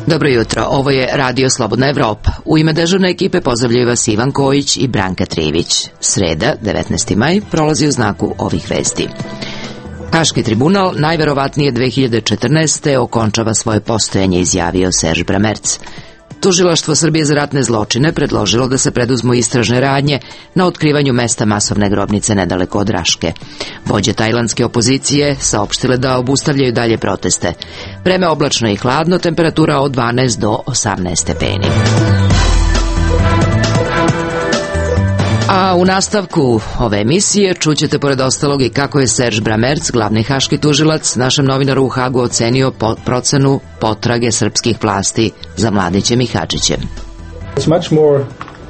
Dobro jutro, ovo je Radio Slobodna Evropa. U ime dežurne ekipe pozdravljaju vas Ivan Kojić i Branka Trivić. Sreda, 19. maj, prolazi u znaku ovih vesti. Haški tribunal najverovatnije 2014. okončava svoje postojanje, izjavio Serž Bramerc. Tužilaštvo Srbije za ratne zločine predložilo da se preduzmu istražne radnje na otkrivanju mesta masovne grobnice nedaleko od Raške. Vođe tajlandske opozicije saopštile da obustavljaju dalje proteste. Vreme oblačno i hladno, temperatura od 12 do 18 stepeni. A u nastavku ove emisije čućete pored ostalog i kako je Serž Bramerc, glavni haški tužilac, našem novinaru u Hagu ocenio procenu potrage srpskih vlasti za Mladićem i Hadžićem. It's much more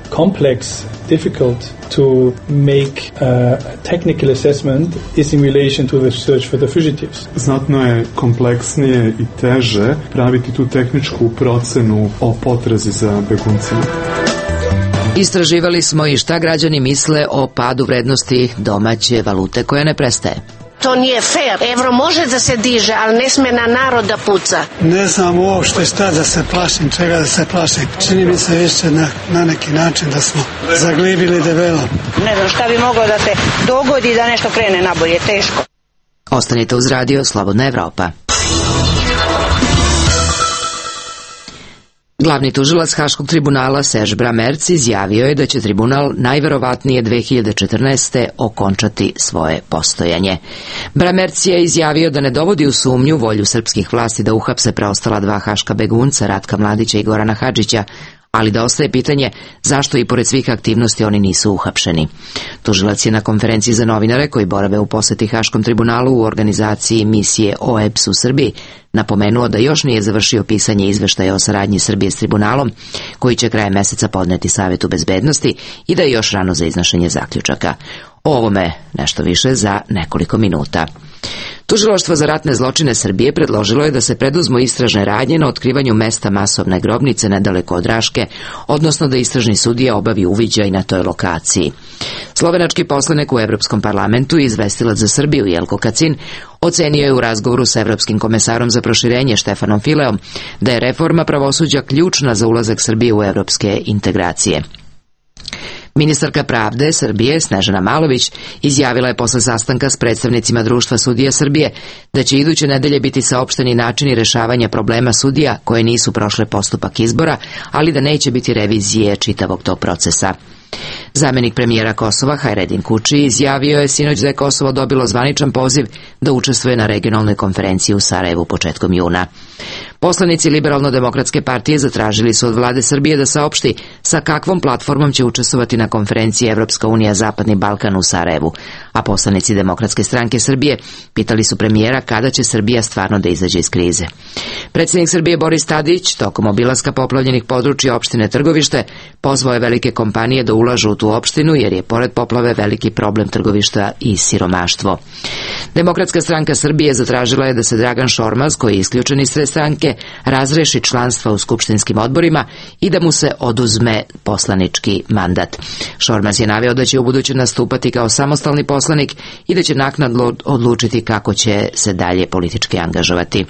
complex, difficult to make a technical assessment is in relation to the search for the fugitives. Znatno je kompleksnije i teže praviti tu tehničku procenu o potrazi za beguncima. Istraživali smo i šta građani misle o padu vrednosti domaće valute koja ne prestaje. To nije fair. Evro može da se diže, ali ne sme na narod da puca. Ne znam uopšte šta da se plašim, čega da se plašim. Čini mi se više na neki način da smo zaglibili debelo. Ne znam šta bi moglo da se dogodi da nešto krene nabolje, teško. Ostanite uz Radio Slobodna Evropa. Glavni tužilac Haškog tribunala Serž Bramerc izjavio je da će tribunal najverovatnije 2014. okončati svoje postojanje. Bramerc je izjavio da ne dovodi u sumnju volju srpskih vlasti da uhapse preostala dva haška begunca, Ratka Mladića i Gorana Hadžića, ali da ostaje pitanje zašto i pored svih aktivnosti oni nisu uhapšeni. Tužilac je na konferenciji za novinare koji borave u poseti Haškom tribunalu u organizaciji misije OEBS u Srbiji napomenuo da još nije završio pisanje izveštaja o saradnji Srbije s tribunalom, koji će krajem meseca podneti Savetu bezbednosti i da je još rano za iznošenje zaključaka. O ovome nešto više za nekoliko minuta. Tužilaštvo za ratne zločine Srbije predložilo je da se preduzmu istražne radnje na otkrivanju mesta masovne grobnice nedaleko od Raške, odnosno da istražni sudija obavi uviđaj na toj lokaciji. Slovenački poslanik u Evropskom parlamentu i izvestilac za Srbiju Jelko Kacin ocenio je u razgovoru sa Evropskim komesarom za proširenje Štefanom Fileom da je reforma pravosuđa ključna za ulazak Srbije u evropske integracije. Ministarka pravde Srbije Snežana Malović izjavila je posle sastanka s predstavnicima Društva sudija Srbije da će iduće nedelje biti saopšteni načini rešavanja problema sudija koje nisu prošle postupak izbora, ali da neće biti revizije čitavog tog procesa. Zamenik premijera Kosova Hajredin Kuči izjavio je sinoć da je Kosovo dobilo zvaničan poziv da učestvuje na regionalnoj konferenciji u Sarajevu početkom juna. Poslanici Liberalno-demokratske partije zatražili su od vlade Srbije da saopšti sa kakvom platformom će učestvovati na konferenciji Evropska unija Zapadni Balkan u Sarajevu, a poslanici Demokratske stranke Srbije pitali su premijera kada će Srbija stvarno da izađe iz krize. Predsjednik Srbije Boris Tadić tokom obilaska poplavljenih područja opštine Trgovište pozvao je velike kompanije da ulažu u tu opštinu jer je pored poplave veliki problem Trgovišta i siromaštvo. Demokratska stranka Srbije zatražila je da se Dragan Šormaz, koji je isključen iz sve stranke, razreši članstva u skupštinskim odborima i da mu se oduzme poslanički mandat. Šormaz je naveo da će ubuduće nastupati kao samostalni poslanik i da će naknadno odlučiti kako će se dalje politički angažovati.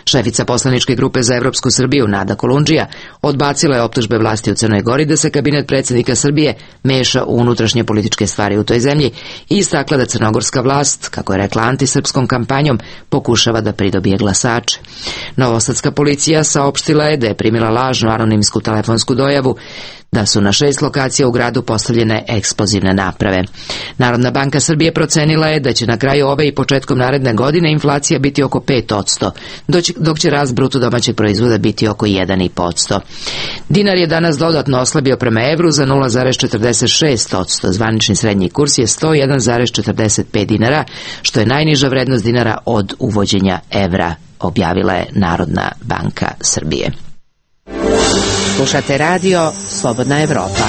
Šefica poslaničke grupe za Evropsku Srbiju Nada Kolundžija odbacila je optužbe vlasti u Crnoj Gori da se kabinet predsjednika Srbije meša u unutrašnje političke stvari u toj zemlji i istakla da crnogorska vlast, kako je rekla antisrpskom kampanjom, pokušava da pridobije glasače. Novosadska policija saopštila je da je primila lažnu anonimsku telefonsku dojavu da su na 6 lokacija u gradu postavljene eksplozivne naprave. Narodna banka Srbije procenila je da će na kraju ove i početkom naredne godine inflacija biti oko 5%, dok će rast bruto domaćeg proizvoda biti oko 1,5%. Dinar je danas dodatno oslabio prema evru za 0,46%, zvanični srednji kurs je 101,45 dinara, što je najniža vrednost dinara od uvođenja evra, objavila je Narodna banka Srbije. Slušate radio Slobodna Evropa.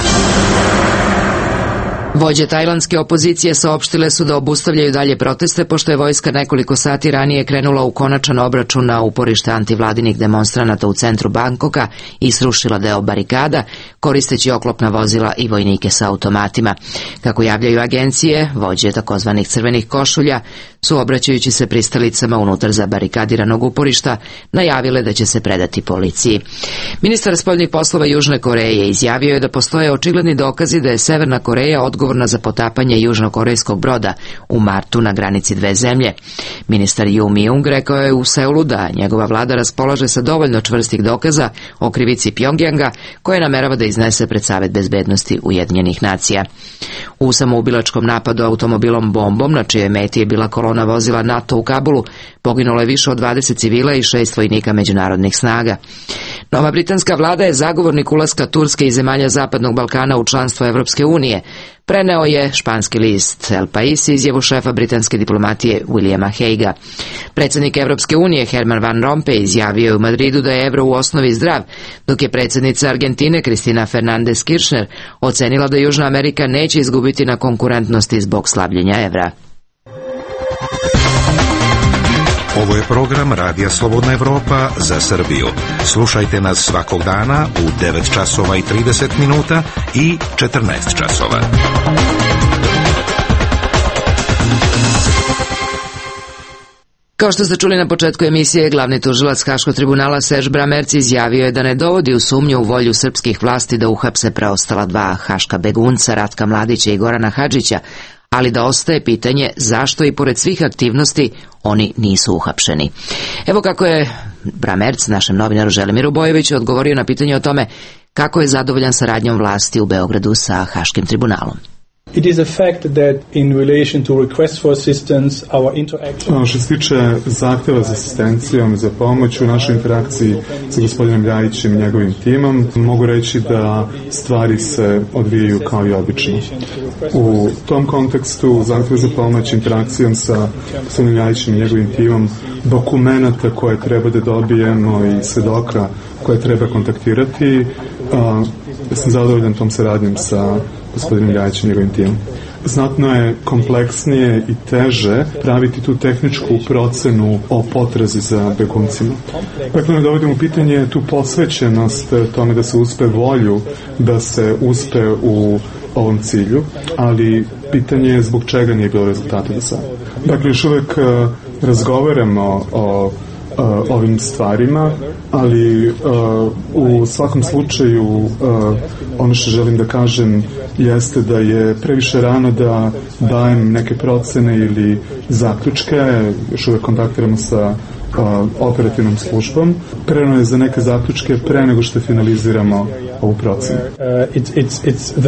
Vođe tajlandske opozicije saopštile su da obustavljaju dalje proteste pošto je vojska nekoliko sati ranije krenula u konačan obračun na uporište antivladinih demonstranata u centru Bangkoka i srušila deo barikada koristeći oklopna vozila i vojnike sa automatima. Kako javljaju agencije, vođe takozvanih crvenih košulja su, obraćajući se pristalicama unutar zabarikadiranog uporišta, najavile da će se predati policiji. Ministar spoljnih poslova Južne Koreje izjavio je da postoje očigledni dokazi da je Severna Koreja odgovorna za potapanje južnokorejskog broda u martu na granici dve zemlje. Ministar Ju Mi-ung rekao je u Seulu da njegova vlada raspolaže sa dovoljno čvrstih dokaza o krivici Pjongjanga koje namerava da iznese pred Savet bezbednosti Ujedinjenih nacija. U samoubilačkom napadu automobilom bombom, na čijoj meti je bila kolona vozila NATO u Kabulu, poginulo je više od 20 civila i 6 vojnika međunarodnih snaga. Nova britanska vlada je zagovornik ulaska Turske i zemalja Zapadnog Balkana u članstvo Evropske unije, preneo je španski list El País izjavu šefa britanske diplomatije Williama Haguea. Predsjednik Evropske unije Herman Van Rompuy izjavio je u Madridu da je evro u osnovi zdrav, dok je predsjednica Argentine Cristina Fernández Kirchner ocenila da Južna Amerika neće izgubiti na konkurentnosti zbog slabljenja evra. Ovo je program Radija Slobodna Evropa za Srbiju. Slušajte nas svakog dana u 9 časova i 30 minuta i 14 časova. Kao što ste čuli na početku emisije, glavni tužilac Haškog tribunala Serge Bramertz izjavio je da ne dovodi u sumnju u volju srpskih vlasti da uhapse preostala dva haška begunca, Ratka Mladića i Gorana Hadžića, ali da ostaje pitanje zašto i pored svih aktivnosti oni nisu uhapšeni. Evo kako je Bramertz našem novinaru Želimiru Bojoviću odgovorio na pitanje o tome kako je zadovoljan saradnjom vlasti u Beogradu sa Haškim tribunalom. It is a fact that in relation to request for assistance, our interaction... Što se tiče zahtjeva za asistencijom, za pomoć u našoj interakciji sa gospodinom Ljajićem i njegovim timom, mogu reći da stvari se odvijaju kao i obično. U tom kontekstu zahtjeva za pomoć interakcijom sa gospodinom Ljajićem i njegovim timom, dokumenta koje treba da dobijemo i svedoka koje treba kontaktirati, sam zadovoljan tom saradnjom sa gospodinom Ljajićem i njegovim timom. Znatno je kompleksnije i teže praviti tu tehničku procenu o potrazi za beguncima. Dakle, ne dovodimo u pitanje tu posvećenost tome da se uspe volju, da se uspe u ovom cilju, ali pitanje je zbog čega nije bilo rezultata do sada. Dakle, još uvek razgovaramo o ovim stvarima, ali u svakom slučaju ono što želim da kažem jeste da je previše rano da dajem neke procene ili zaključke, još uvek kontaktiramo sa operativnom službom. Prerano je za neke zaključke pre nego što finaliziramo ovu procenu. It's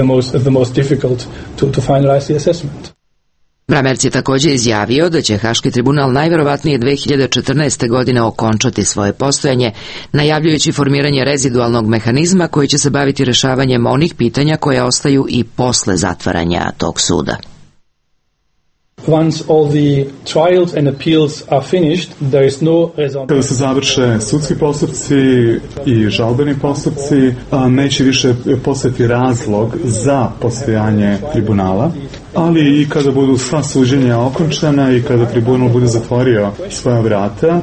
the most difficult to finalize the assessment. Bramertz je također izjavio da će Haški tribunal najverovatnije 2014. godine okončati svoje postojanje, najavljujući formiranje rezidualnog mehanizma koji će se baviti rešavanjem onih pitanja koja ostaju i posle zatvaranja tog suda. Once all the trials and appeals are finished, there is no raison. Kada se završe sudski postupci i žalbeni postupci, neće više postojati razlog za postojanje tribunala, ali i kada budu sva suđenja okončana i kada tribunal bude zatvorio svoja vrata,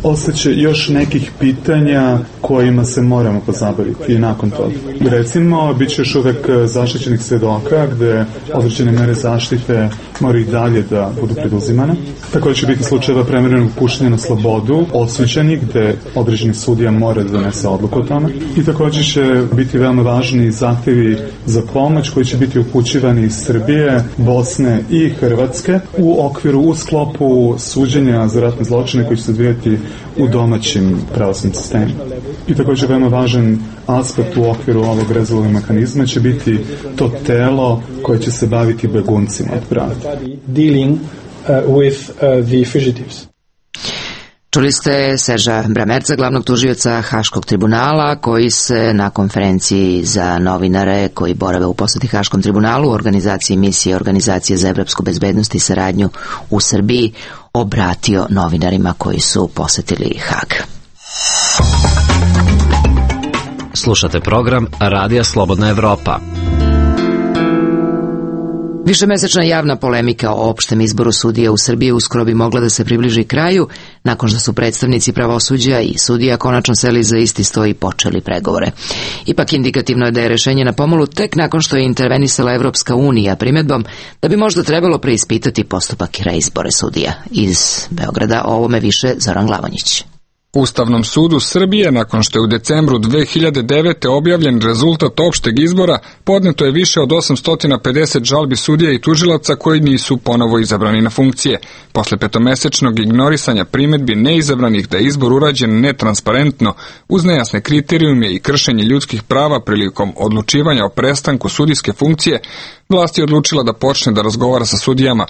ostaće još nekih pitanja kojima se moramo pozabaviti i nakon toga. Recimo, bit će još uvek zaštićenih svedoka gde određene mere zaštite moraju i dalje da budu preduzimane. Također će biti slučajeva premjerenog puštanja na slobodu osuđenih gde određeni sudija mora da donese odluku o tome. I također će biti veoma važni zahtjevi za pomoć koji će biti upućivani iz Srbije, Bosne i Hrvatske u sklopu suđenja za ratne zločine koji će se odvijati u domaćim pravosudnim sistemima. I također veoma važan aspekt u okviru ovog rezidualnog mehanizma će biti to telo koje će se baviti beguncima od pravde. Dealing with the fugitives. Čuli ste Serža Bramertza, glavnog tužioca Haškog tribunala, koji se na konferenciji za novinare koji borave u poseti Haškom tribunalu u organizaciji misije Organizacije za evropsku bezbednost i saradnju u Srbiji obratio novinarima koji su posetili Hag. Slušate program Radija Slobodna Evropa. Višemesečna javna polemika o opštem izboru sudija u Srbiji uskoro bi mogla da se približi kraju, nakon što su predstavnici pravosuđa i sudija konačno seli za isti sto i počeli pregovore. Ipak indikativno je da je rešenje na pomolu tek nakon što je intervenisala Evropska unija primedbom da bi možda trebalo preispitati postupak reizbora sudija. Iz Beograda o ovome više Zoran Glavonjić. Ustavnom sudu Srbije, nakon što je u decembru 2009. objavljen rezultat opšteg izbora, podneto je više od 850 žalbi sudija i tužilaca koji nisu ponovo izabrani na funkcije. Posle petomesečnog ignorisanja primedbi neizabranih da je izbor urađen netransparentno, uz nejasne kriterijume i kršenje ljudskih prava prilikom odlučivanja o prestanku sudijske funkcije, vlast je odlučila da počne da razgovara sa sudijama,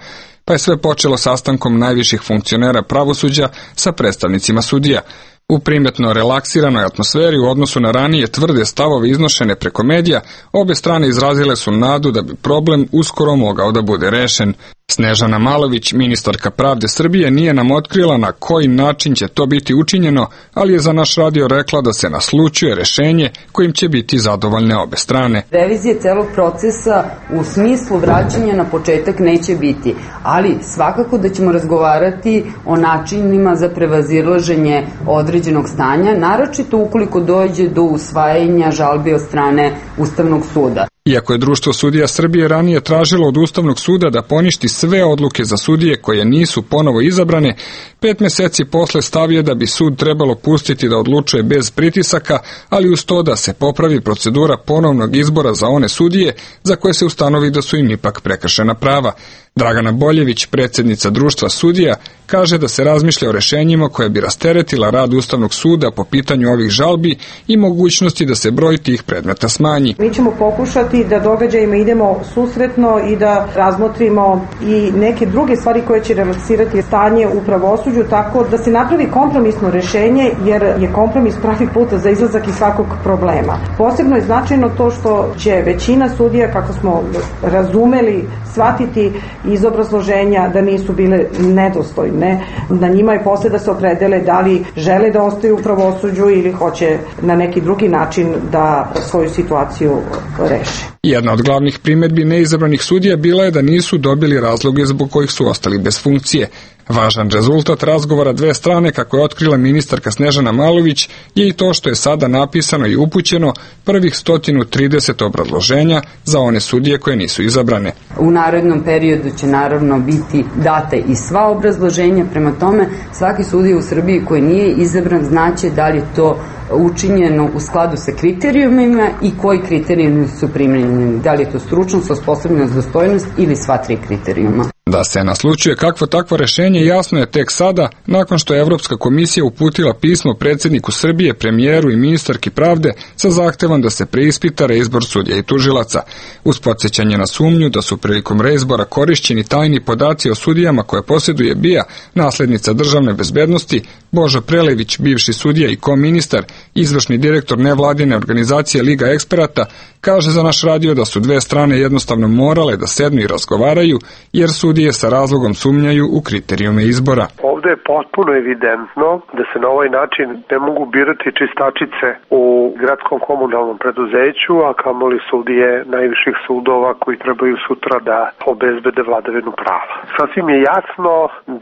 pa je sve počelo sastankom najviših funkcionera pravosuđa sa predstavnicima sudija. U primetno relaksiranoj atmosferi u odnosu na ranije tvrde stavove iznošene preko medija, obe strane izrazile su nadu da bi problem uskoro mogao da bude rešen. Snežana Malović, ministarka pravde Srbije, nije nam otkrila na koji način će to biti učinjeno, ali je za naš radio rekla da se naslućuje rešenje kojim će biti zadovoljne obe strane. Revizije celog procesa u smislu vraćanja na početak neće biti, ali svakako da ćemo razgovarati o načinima za prevazilaženje određenog stanja, naročito ukoliko dođe do usvajanja žalbi od strane Ustavnog suda. Iako je Društvo sudija Srbije ranije tražilo od Ustavnog suda da poništi sve odluke za sudije koje nisu ponovo izabrane, 5 meseci posle stav je da bi sud trebalo pustiti da odlučuje bez pritisaka, ali uz to da se popravi procedura ponovnog izbora za one sudije za koje se ustanovi da su im ipak prekršena prava. Dragana Boljević, predsjednica Društva sudija, kaže da se razmišlja o rešenjima koje bi rasteretila rad Ustavnog suda po pitanju ovih žalbi i mogućnosti da se broj tih predmeta smanji. Mi ćemo pokušati da događajima idemo susretno i da razmotrimo i neke druge stvari koje će relaksirati stanje u pravosuđu, tako da se napravi kompromisno rešenje, jer je kompromis pravi put za izlazak iz svakog problema. Posebno je značajno to što će većina sudija, kako smo razumeli, shvatiti iz obrazloženja da nisu bile nedostojne. Na njima je posle da se opredele da li žele da ostaju u pravosuđu ili hoće na neki drugi način da svoju situaciju reše. Jedna od glavnih primedbi neizabranih sudija bila je da nisu dobili razloge zbog kojih su ostali bez funkcije. Važan rezultat razgovora dve strane, kako je otkrila ministarka Snežana Malović, je i to što je sada napisano i upućeno prvih 130 obrazloženja za one sudije koje nisu izabrane. U narednom periodu će naravno biti date i sva obrazloženja, prema tome svaki sudija u Srbiji koji nije izabran znaće da li je to učinjeno u skladu sa kriterijumima i koji kriterijumi su primjenjeni, da li je to stručnost, osposobljenost, dostojnost ili sva tri kriterijuma. Da se naslućuje kakvo takvo rešenje jasno je tek sada, nakon što je Evropska komisija uputila pismo predsjedniku Srbije, premijeru i ministarki pravde sa zahtevom da se preispita reizbor sudija i tužilaca. Uz podsjećanje na sumnju da su prilikom reizbora korišćeni tajni podaci o sudijama koje posjeduje BIA, naslednica državne bezbednosti, Božo Prelević, bivši sudija i koministar, izvršni direktor nevladine organizacije Liga eksperata, kaže za naš radio da su dve strane jednostavno morale da sednu i razgovaraju, jer sudije sa razlogom sumnjaju u kriterijume izbora. Ovde je potpuno evidentno da se na ovaj način ne mogu birati čistačice u gradskom komunalnom preduzeću, a kamoli sudije najviših sudova koji trebaju sutra da obezbede vladavinu prava. Sasvim je jasno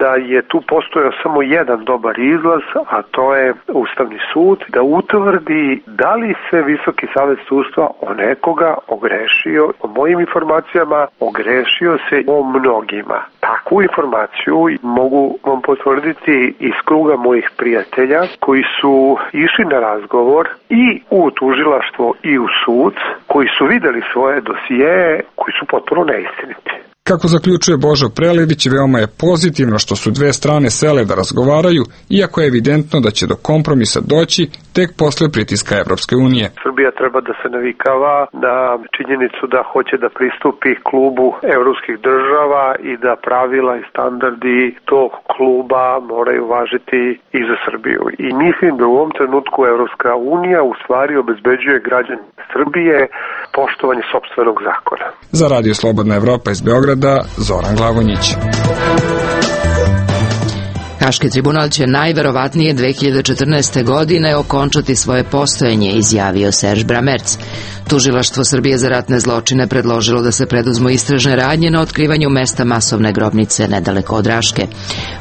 da je tu postojao samo jedan dobar izlaz, a to je Ustavni sud, da utvrdi da li se Visoki savet sudstva o nekoga ogrešio. Po mojim informacijama ogrešio se o mnogima. Takvu informaciju mogu vam potvrditi iz kruga mojih prijatelja koji su išli na razgovor i u tužilaštvo i u sud, koji su videli svoje dosijeje koji su potpuno neistiniti. Kako zaključuje Božo Prelević, veoma je pozitivno što su dve strane sele da razgovaraju, iako je evidentno da će do kompromisa doći tek posle pritiska Evropske unije. Srbija treba da se navikava na činjenicu da hoće da pristupi klubu evropskih država i da pravila i standardi tog kluba moraju važiti i za Srbiju. I mislim da u ovom trenutku Evropska unija u stvari obezbeđuje građane Srbije poštovanje sopstvenog zakona. Za Radio Slobodna Evropa iz Beograda, Zoran Glavonjić. Haški tribunal će najverovatnije 2014. godine okončati svoje postojanje, izjavio Serge Bramertz. Tužilaštvo Srbije za ratne zločine predložilo da se preduzmu istražne radnje na otkrivanju mesta masovne grobnice nedaleko od Raške.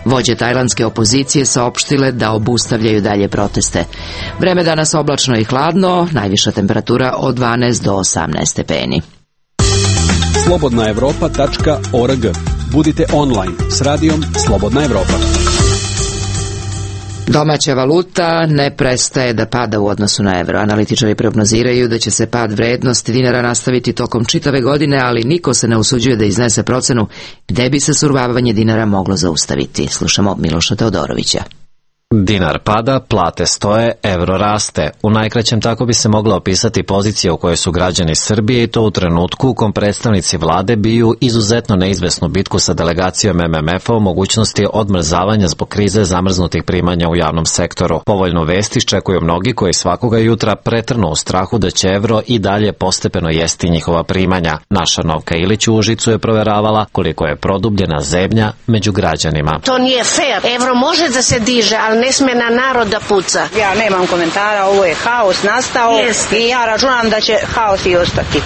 Vođe tajlandske opozicije saopštile da obustavljaju dalje proteste. Vreme danas oblačno i hladno, najviša temperatura od 12 do 18 stepeni. Slobodnaevropa.org. Budite online s radijom Slobodna Evropa. Domaća valuta ne prestaje da pada u odnosu na evro. Analitičari prognoziraju da će se pad vrednosti dinara nastaviti tokom čitave godine, ali niko se ne usuđuje da iznese procenu gde bi se survavanje dinara moglo zaustaviti. Slušamo Miloša Teodorovića. Dinar pada, plate stoje, evro raste. U najkraćem tako bi se mogla opisati pozicija u kojoj su građani Srbije i to u trenutku u kom predstavnici vlade biju izuzetno neizvesnu bitku sa delegacijom MMF-a o mogućnosti odmrzavanja zbog krize zamrznutih primanja u javnom sektoru. Povoljnu vest iščekuju mnogi koji svakoga jutra pretrnu u strahu da će evro i dalje postepeno jesti njihova primanja. Naša Novka Ilić u Užicu je proveravala koliko je produbljena zebnja među građanima. To nije fair. Evro može da se diže, ali ne sme na narod da puca. Ja nemam komentara, ovo je haos nastao i ja računam da će haos i ostati.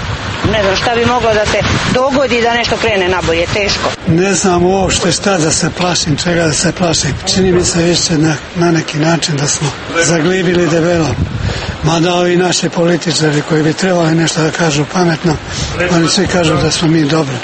Ne znam šta bi moglo da se dogodi da nešto krene nabolje, teško. Ne znam uopšte šta da se plašim, čega da se plašim. Čini mi se više na neki način da smo zaglibili debelo. Mada ovi naši političari koji bi trebali nešto da kažu pametno, oni svi kažu da smo mi dobri.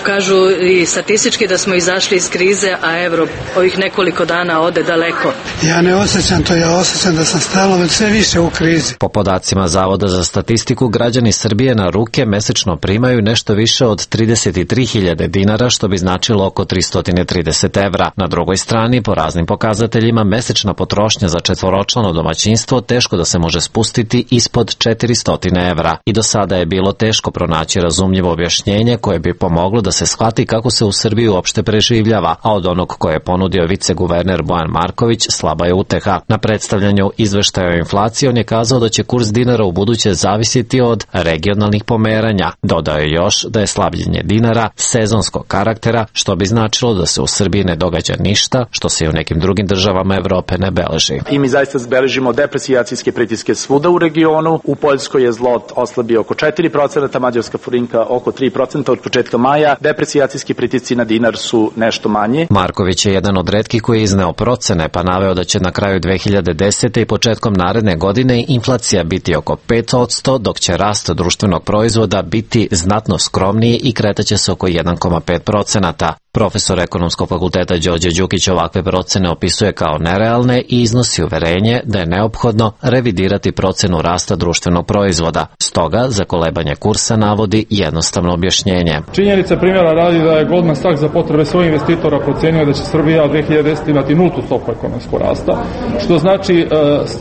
Kažu i statistički da smo izašli iz krize, a evro ovih nekoliko dana ode daleko. Ja ne osjećam to, ja osjećam da sam stalno sve više u krizi. Po podacima Zavoda za statistiku, građani Srbije na ruke mesečno primaju nešto više od 33.000 dinara, što bi značilo oko 330 evra. Na drugoj strani, po raznim pokazateljima, mesečna potrošnja za četvoročlano domaćinstvo teško da se može spustiti ispod 400 evra. I do sada je bilo teško pronaći razumljivo objašnjenje koje bi pomoglo da se shvati kako se u Srbiji uopšte preživljava, a od onog koje je ponudio viceguverner Bojan Marković slaba je uteha. Na predstavljanju izveštaja o inflaciji on je kazao da će kurs dinara u buduće zavisiti od regionalnih pomeranja. Dodao je još da je slabljenje dinara sezonskog karaktera, što bi značilo da se u Srbiji ne događa ništa, što se i u nekim drugim državama Evrope ne beleži. I mi zaista beležimo deprecijacijske pritiske svuda u regionu. U Poljskoj je zlot oslabio oko 4%, mađarska forinka oko 3% od početka maja. Deprecijacijski pritisci na dinar su nešto manji. Marković je jedan od retkih koji je izneo procene, pa naveo da će na kraju 2010. i početkom naredne godine inflacija biti oko 5%, dok će rast društvenog proizvoda biti znatno skromniji i kretaće se oko 1,5%. Profesor ekonomskog fakulteta Đorđe Đukić ovakve procene opisuje kao nerealne i iznosi uverenje da je neophodno revidirati procenu rasta društvenog proizvoda. Stoga, za kolebanje kursa navodi jednostavno objašnjenje. Činjenica primjera radi da je Goldman Sachs za potrebe svojih investitora procenio da će Srbija 2010. imati nultu stopu ekonomskog rasta, što znači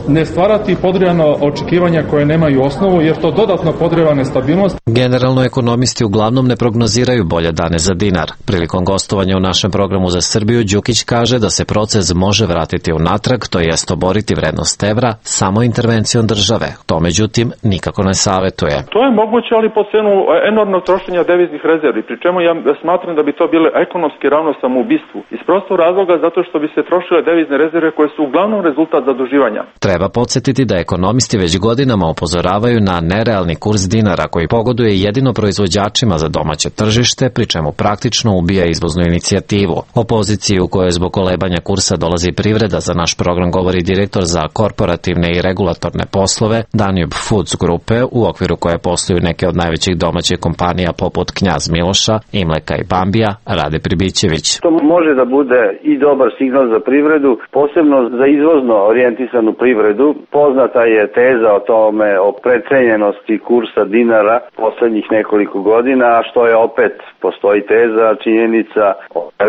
ne stvarati podrijano očekivanja koje nemaju osnovu, jer to dodatno podrijeva nestabilnost. Generalno, ekonomisti uglavnom ne prognoziraju bolje dane za dinar. Prilikom gostovanja u našem programu za Srbiju, Đukić kaže da se proces može vratiti unatrag, to jest oboriti vrednost evra samo intervencijom države. To međutim nikako ne savetuje. To je moguće, ali po cenu enormnog trošenja deviznih rezervi, pri čemu ja smatram da bi to bile ekonomski ravno samoubistvu. Iz prostog razloga zato što bi se trošile devizne rezerve koje su uglavnom rezultat zaduživanja. Treba podsjetiti da ekonomisti već godinama upozoravaju na nerealni kurs dinara koji pogoduje jedino proizvođačima za domaće tržište, pri čemu praktično ubija izvoznu inicijativu. O poziciji u kojoj zbog kolebanja kursa dolazi privreda za naš program govori direktor za korporativne i regulatorne poslove Danube Foods grupe, u okviru koje posluju neke od najvećih domaćih kompanija poput Knjaz Miloša, Imleka i Bambija, Rade Pribićević. To može da bude i dobar signal za privredu, posebno za izvozno orijentisanu privredu. Poznata je teza o tome, o precenjenosti kursa dinara poslednjih nekoliko godina, što je opet postoji teza, činjenica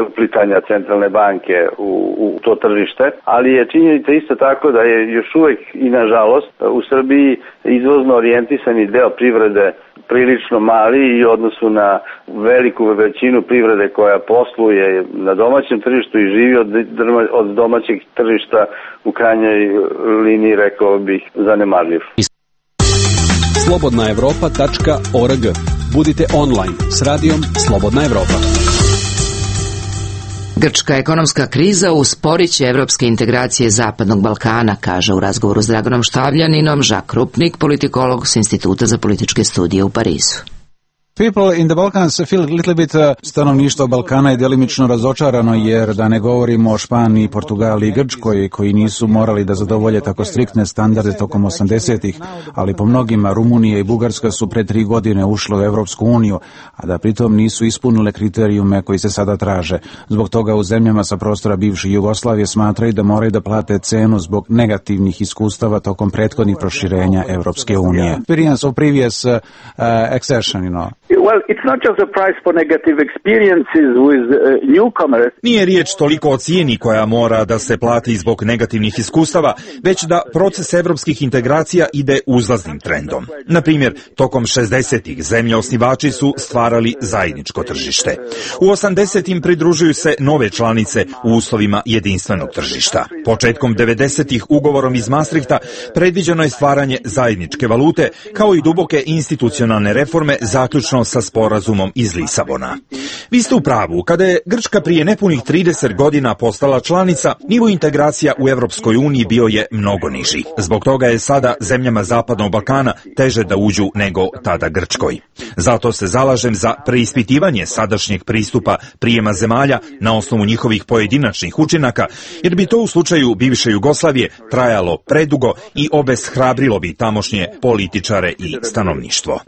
uplitanja centralne banke u to tržište, ali je činjenica isto tako da je još uvek i nažalost u Srbiji izvozno orijentisani deo privrede prilično mali i u odnosu na veliku većinu privrede koja posluje na domaćem tržištu i živi od domaćeg tržišta u krajnjoj liniji, rekao bih, zanemarljiv. Slobodnaevropa.org. Budite online s radijom Slobodna Evropa. Grčka ekonomska kriza usporiće evropske integracije Zapadnog Balkana, kaže u razgovoru s Draganom Štavljaninom Žak Krupnik, politikolog s Instituta za političke studije u Parizu. People in the Balkans feel a little bit stanovništvo Balkana je delimično razočarano, jer da ne govorimo o Španiji, Portugaliji i Grčkoj, koji nisu morali da zadovolje tako striktne standarde tokom 80-ih, ali po mnogima Rumunija i Bugarska su pre 3 godine ušle u Evropsku uniju, a da pritom nisu ispunile kriterijume koji se sada traže. Zbog toga u zemljama sa prostora bivše Jugoslavije smatraju da moraju da plate cenu zbog negativnih iskustava tokom prethodnih proširenja Evropske unije. Experience of previous accession, you know. Well, it's not just a price for negative experiences with newcomers. Nije riječ toliko o cijeni koja mora da se plati zbog negativnih iskustava, već da proces evropskih integracija ide uzlaznim trendom. Na primjer, tokom 60-ih zemlje osnivači su stvarali zajedničko tržište. U 80-im pridružuju se nove članice u uslovima jedinstvenog tržišta. Početkom 90-ih ugovorom iz Maastrichta predviđeno je stvaranje zajedničke valute, kao i duboke institucionalne reforme zaključno sa sporazumom iz Lisabona. Vi ste u pravu, kada je Grčka prije nepunih 30 godina postala članica, nivo integracija u Evropskoj uniji bio je mnogo niži. Zbog toga je sada zemljama Zapadnog Balkana teže da uđu nego tada Grčkoj. Zato se zalažem za preispitivanje sadašnjeg pristupa prijema zemalja na osnovu njihovih pojedinačnih učinaka, jer bi to u slučaju bivše Jugoslavije trajalo predugo i obeshrabrilo bi tamošnje političare i stanovništvo.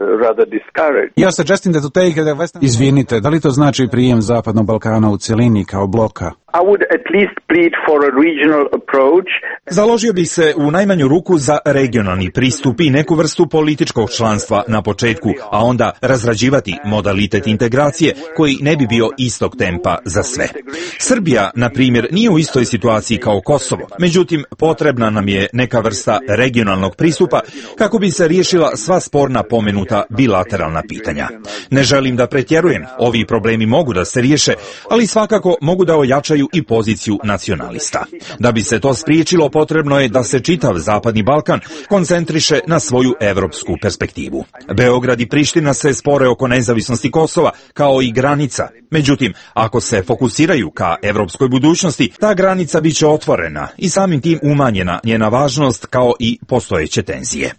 Izvinite, da li to znači prijem Zapadnog Balkana u cjelini kao bloka? I would at least plead for a regional approach. Založio bih se u najmanju ruku za regionalni pristup i neku vrstu političkog članstva na početku, a onda razrađivati modalitet integracije koji ne bi bio istog tempa za sve. Srbija, na primjer, nije u istoj situaciji kao Kosovo, međutim potrebna nam je neka vrsta regionalnog pristupa kako bi se riješila sva sporna pomenuta bilateralna pitanja. Ne želim da pretjerujem, ovi problemi mogu da se riješe, ali svakako mogu da ojačaju i poziciju nacionalista. Da bi se to spriječilo, potrebno je da se čitav Zapadni Balkan koncentriše na svoju evropsku perspektivu. Beograd i Priština se spore oko nezavisnosti Kosova, kao i granica. Međutim, ako se fokusiraju ka evropskoj budućnosti, ta granica biće otvorena i samim tim umanjena njena važnost kao i postojeće tenzije.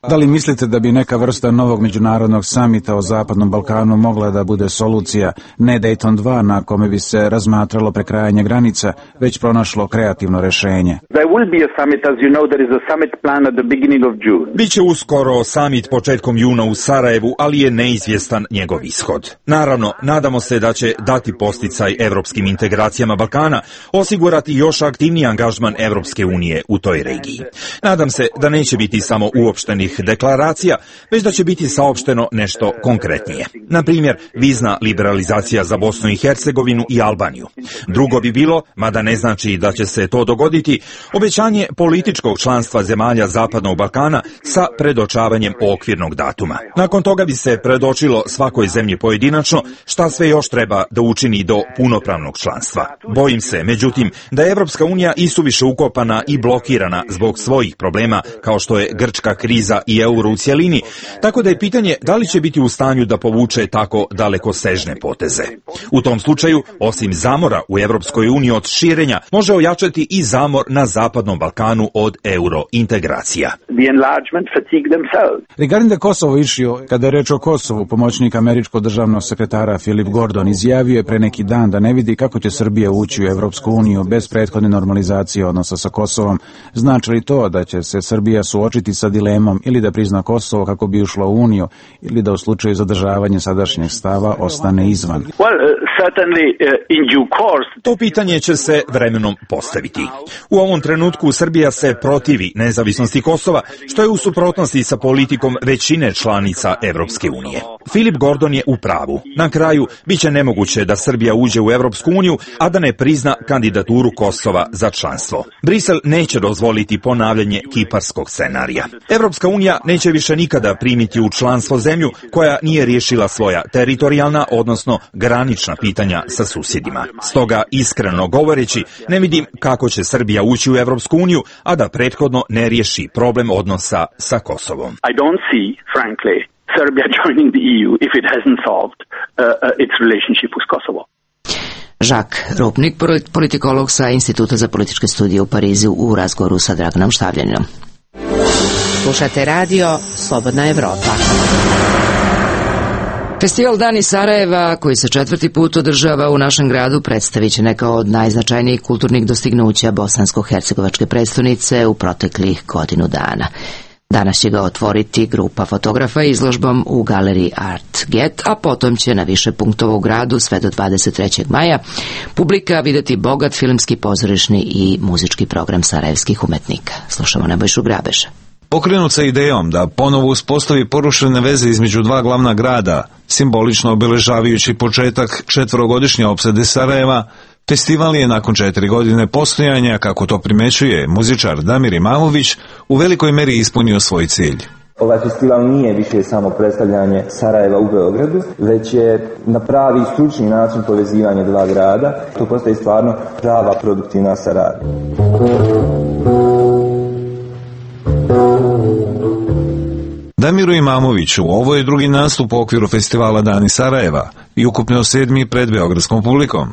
Da li mislite da bi neka vrsta novog međunarodnog samita o Zapadnom Balkanu mogla da bude solucija, ne Dayton 2 na kome bi se razmatralo prekrajanje granica, već pronašlo kreativno rješenje? Biće uskoro samit početkom juna u Sarajevu, ali je neizvjestan njegov ishod. Naravno, nadamo se da će dati posticaj evropskim integracijama Balkana, osigurati još aktivniji angažman Evropske unije u toj regiji. Nadam se da neće biti samo uopštenih deklaracija, već da će biti saopšteno nešto konkretnije. Na primjer, vizna liberalizacija za Bosnu i Hercegovinu i Albaniju. Drugo bi bilo, mada ne znači da će se to dogoditi, obećanje političkog članstva zemalja Zapadnog Balkana sa predočavanjem okvirnog datuma. Nakon toga bi se predočilo svakoj zemlji pojedinačno šta sve još treba da učini do punopravnog članstva. Bojim se, međutim, da je Evropska unija isuviše ukopana i blokirana zbog svojih problema kao što je grčka kriza i euro u cjelini, tako da je pitanje da li će biti u stanju da povuče tako dalekosežne poteze. U tom slučaju, osim zamora u Evropskoj uniji od širenja, može ojačati i zamor na Zapadnom Balkanu od eurointegracija. Regarding the Kosovo issue, kada je reč o Kosovu, pomoćnik američkog državnog sekretara Philip Gordon izjavio je pre neki dan da ne vidi kako će Srbija ući u Evropsku uniju bez prethodne normalizacije odnosa sa Kosovom. Znači li to da će se Srbija suočiti sa dilemom ili da prizna Kosovo kako bi ušla u Uniju ili da u slučaju zadržavanja sadašnjeg stava ostane izvan? To pitanje će se vremenom postaviti. U ovom trenutku Srbija se protivi nezavisnosti Kosova, što je u suprotnosti sa politikom većine članica Evropske unije. Philip Gordon je u pravu. Na kraju, biće nemoguće da Srbija uđe u Evropsku uniju, a da ne prizna kandidaturu Kosova za članstvo. Brisel neće dozvoliti ponavljanje kiparskog scenarija. Evropska unija neće više nikada primiti u članstvo zemlju koja nije riješila svoja teritorijalna, odnosno granična pitanja sa susjedima. Stoga, iskreno govoreći, ne vidim kako će Srbija ući u Evropsku uniju, a da prethodno ne riješi problem odnosa sa Kosovom. I don't see, frankly, Serbia joining the EU if it hasn't solved its relationship with Kosovo. Žak Rupnik, politikolog sa Instituta za političke studije u Parizu, u razgovoru sa Draganom Štavljaninom. Slušate radio Slobodna Evropa. Festival Dani Sarajeva, koji se 4. put održava u našem gradu, predstavit će neka od najznačajnijih kulturnih dostignuća bosansko-hercegovačke prestonice u proteklih godinu dana. Danas će ga otvoriti grupa fotografa izložbom u galeriji Art Get, a potom će na više punktova u gradu sve do 23. maja publika vidjeti bogat filmski, pozorišni i muzički program sarajevskih umetnika. Slušamo Nebojšu Grabeša. Pokrenut sa idejom da ponovo uspostavi porušene veze između dva glavna grada, simbolično obeležavajući početak 4-godišnje opsade Sarajeva, festival je nakon 4 godine postojanja, kako to primećuje muzičar Damir Imamović, u velikoj meri ispunio svoj cilj. Ovaj festival nije više samo predstavljanje Sarajeva u Beogradu, već je na pravi stručni način povezivanje dva grada. To postaje stvarno prava produktivna saradnja. Damiru Imamoviću ovo je drugi nastup u okviru festivala Dani Sarajeva i ukupno 7. pred beogradskom publikom.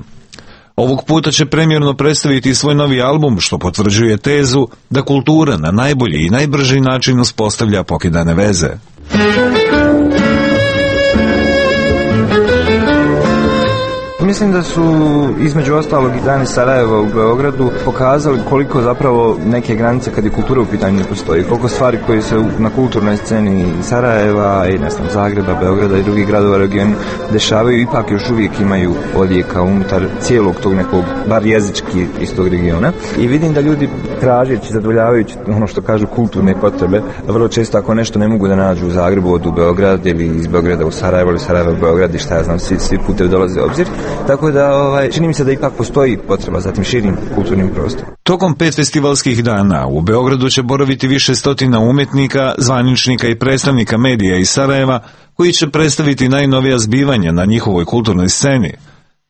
Ovog puta će premijerno predstaviti svoj novi album, što potvrđuje tezu da kultura na najbolji i najbrži način uspostavlja pokidane veze. Mislim da su između ostalog i Dani Sarajeva u Beogradu pokazali koliko zapravo neke granice kad je kultura u pitanju ne postoji. Koliko stvari koje se na kulturnoj sceni Sarajeva i Zagreba, Beograda i drugih gradova u regionu dešavaju, ipak još uvijek imaju odjeka unutar cijelog tog nekog, bar jezički iz tog regiona. I vidim da ljudi tražeći, zadovoljavajući ono što kažu kulturne potrebe, vrlo često ako nešto ne mogu da nađu u Zagrebu, od u Beograd ili iz Beograda u Sarajevo ili Sarajeva u Beograd i šta ja znam, svi putevi dolaze u obzir. Tako da čini mi se da ipak postoji potreba za tim širim kulturnim prostorom. Tokom 5 festivalskih dana u Beogradu će boraviti više stotina umetnika, zvaničnika i predstavnika medija iz Sarajeva, koji će predstaviti najnovija zbivanja na njihovoj kulturnoj sceni.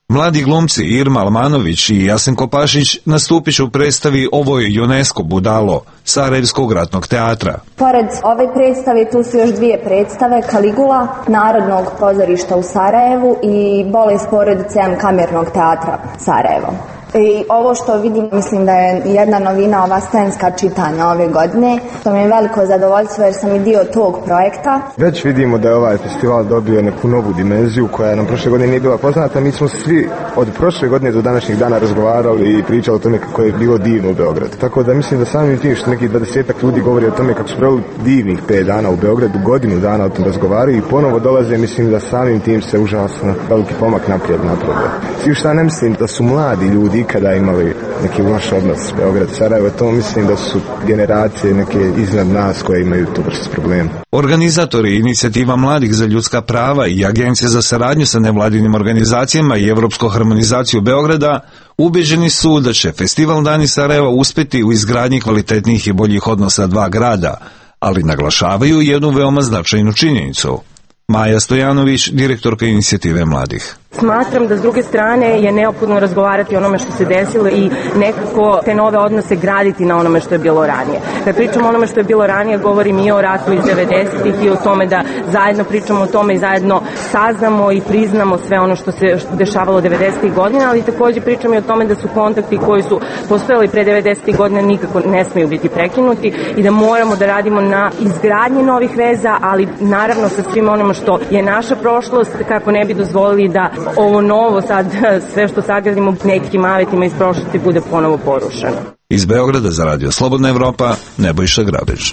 Mladi glumci Irma Almanović i Jasenko Pašić nastupit će u predstavi Ovo je UNESCO budalo Sarajevskog ratnog teatra. Pored ove predstave tu su još 2 predstave, Kaligula Narodnog pozorišta u Sarajevu i Bolest porodice Kamernog teatra Sarajevo. I ovo što vidim, mislim da je jedna novina ova scenska čitanja ove godine, što mi je veliko zadovoljstvo jer sam i dio tog projekta. Već vidimo da je ovaj festival dobio neku novu dimenziju koja nam prošle godine nije bila poznata. Mi smo svi od prošle godine do današnjih dana razgovarali i pričali o tome kako je bilo divno u Beogradu. Tako da mislim da samim tim što neki 20-ak ljudi govori o tome kako su proveli divnih 5 dana u Beogradu, godinu dana o tom razgovaraju i ponovo dolaze, mislim da samim tim se užasno veliki pomak naprijed napravlja. Svi šta ne mislim da su mladi ljudi kada imali neki loš odnos Beograd-Sarajevo, to mislim da su generacije neke iznad nas koje imaju tu vrstu problema. Organizatori inicijativa Mladih za ljudska prava i Agencija za saradnju sa nevladinim organizacijama i Evropsku harmonizaciju Beograda ubeđeni su da će Festival Dani Sarajeva uspjeti u izgradnji kvalitetnijih i boljih odnosa dva grada, ali naglašavaju jednu veoma značajnu činjenicu. Maja Stojanović, direktorka inicijative Mladih. Smatram da s druge strane je neophodno razgovarati o onome što se desilo i nekako te nove odnose graditi na onome što je bilo ranije. Kad pričamo o onome što je bilo ranije, govorim i o ratu iz 90-ih i o tome da zajedno pričamo o tome i zajedno saznamo i priznamo sve ono što se dešavalo 90-ih godina, ali također pričamo i o tome da su kontakti koji su postojali pre 90-ih godina nikako ne smiju biti prekinuti i da moramo da radimo na izgradnji novih veza, ali naravno sa svim onome što je naša prošlost, kako ne bi dozvolili da ovo novo sad, sve što sagradimo nekim avetima iz prošlosti bude ponovo porušeno. Iz Beograda za radio Slobodna Evropa, Nebojša Grabež.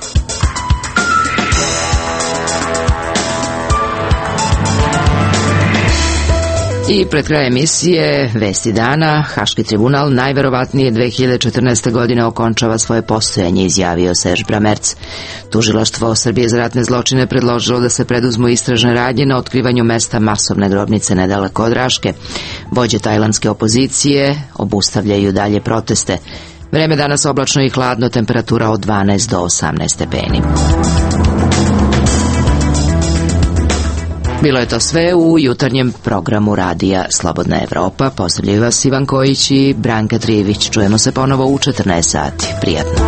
I pred kraj emisije Vesti dana, Haški tribunal najverovatnije 2014. godine okončava svoje postojanje, izjavio Serž Bramerc. Tužilaštvo Srbije za ratne zločine predložilo da se preduzmu istražne radnje na otkrivanju mesta masovne grobnice nedaleko od Raške. Vođe tajlandske opozicije obustavljaju dalje proteste. Vreme danas oblačno i hladno, temperatura od 12 do 18 stepeni. Bilo je to sve u jutarnjem programu radija Slobodna Evropa. Pozdravljaju vas Ivan Kojić i Branka Trijević. Čujemo se ponovo u 14 sati. Prijatno.